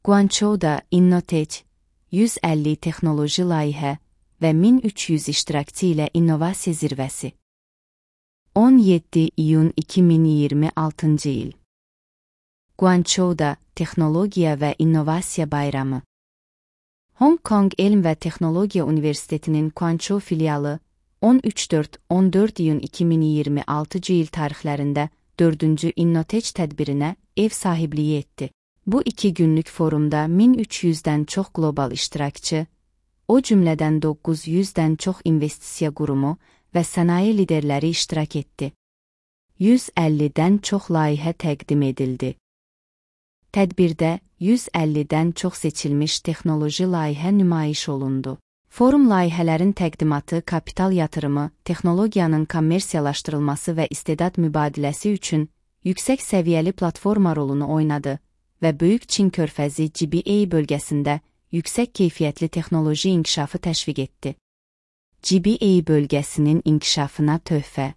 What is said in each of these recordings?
Guangzhou'da Innotech 150 texnoloji layihə və 1300 iştirakçı ilə innovasiya zirvəsi. 17 iyun 2026 il. Guangzhou'da Texnologiya və İnnovasiya Bayramı. Hong Kong Elm və Texnologiya Universitetinin Guangzhou filialı 13-14 iyun 2026 il tarixlərində 4-cü Innotech tədbirinə ev sahibliyi etdi. Bu 2 günlük forumda 1300-dən çox qlobal iştirakçı, o cümlədən 900-dən çox investisiya qurumu və sənaye liderləri iştirak etdi. 150-dən çox layihə təqdim edildi. Tədbirdə 150-dən çox seçilmiş texnoloji layihə nümayiş olundu. Forum layihələrin təqdimatı, kapital yatırımı, texnologiyanın kommersiyalaşdırılması və istedad mübadiləsi üçün yüksək səviyyəli platforma rolunu oynadı və Böyük Çin körfəzi GBA bölgəsində yüksək keyfiyyətli texnoloji inkişafı təşviq etdi. GBA bölgəsinin inkişafına töhfə.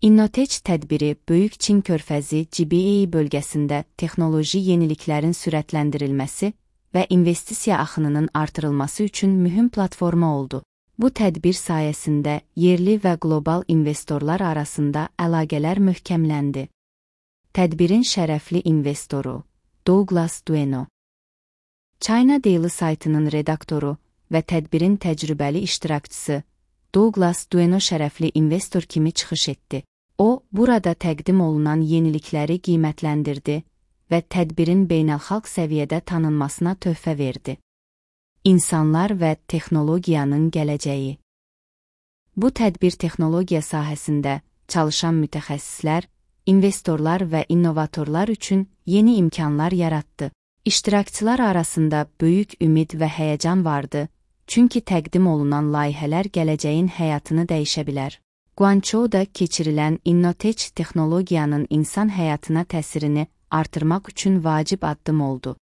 Innotech tədbiri Böyük Çin körfəzi GBA bölgəsində texnoloji yeniliklərin sürətləndirilməsi və investisiya axınının artırılması üçün mühüm platforma oldu. Bu tədbir sayəsində yerli və qlobal investorlar arasında əlaqələr möhkəmləndi. Tədbirin şərəfli investoru Douglas Dueno, China Daily saytının redaktoru və tədbirin təcrübəli iştirakçısı Douglas Dueno şərəfli investor kimi çıxış etdi. O, burada təqdim olunan yenilikləri qiymətləndirdi və tədbirin beynəlxalq səviyyədə tanınmasına töhfə verdi. İnsanlar və texnologiyanın gələcəyi. Bu tədbir texnologiya sahəsində çalışan mütəxəssislər, investorlar və innovatorlar üçün yeni imkanlar yaratdı. İştirakçılar arasında böyük ümid və həyəcan vardı, çünki təqdim olunan layihələr gələcəyin həyatını dəyişə bilər. Guangzhou'da keçirilən Innotech texnologiyanın insan həyatına təsirini artırmaq üçün vacib addım oldu.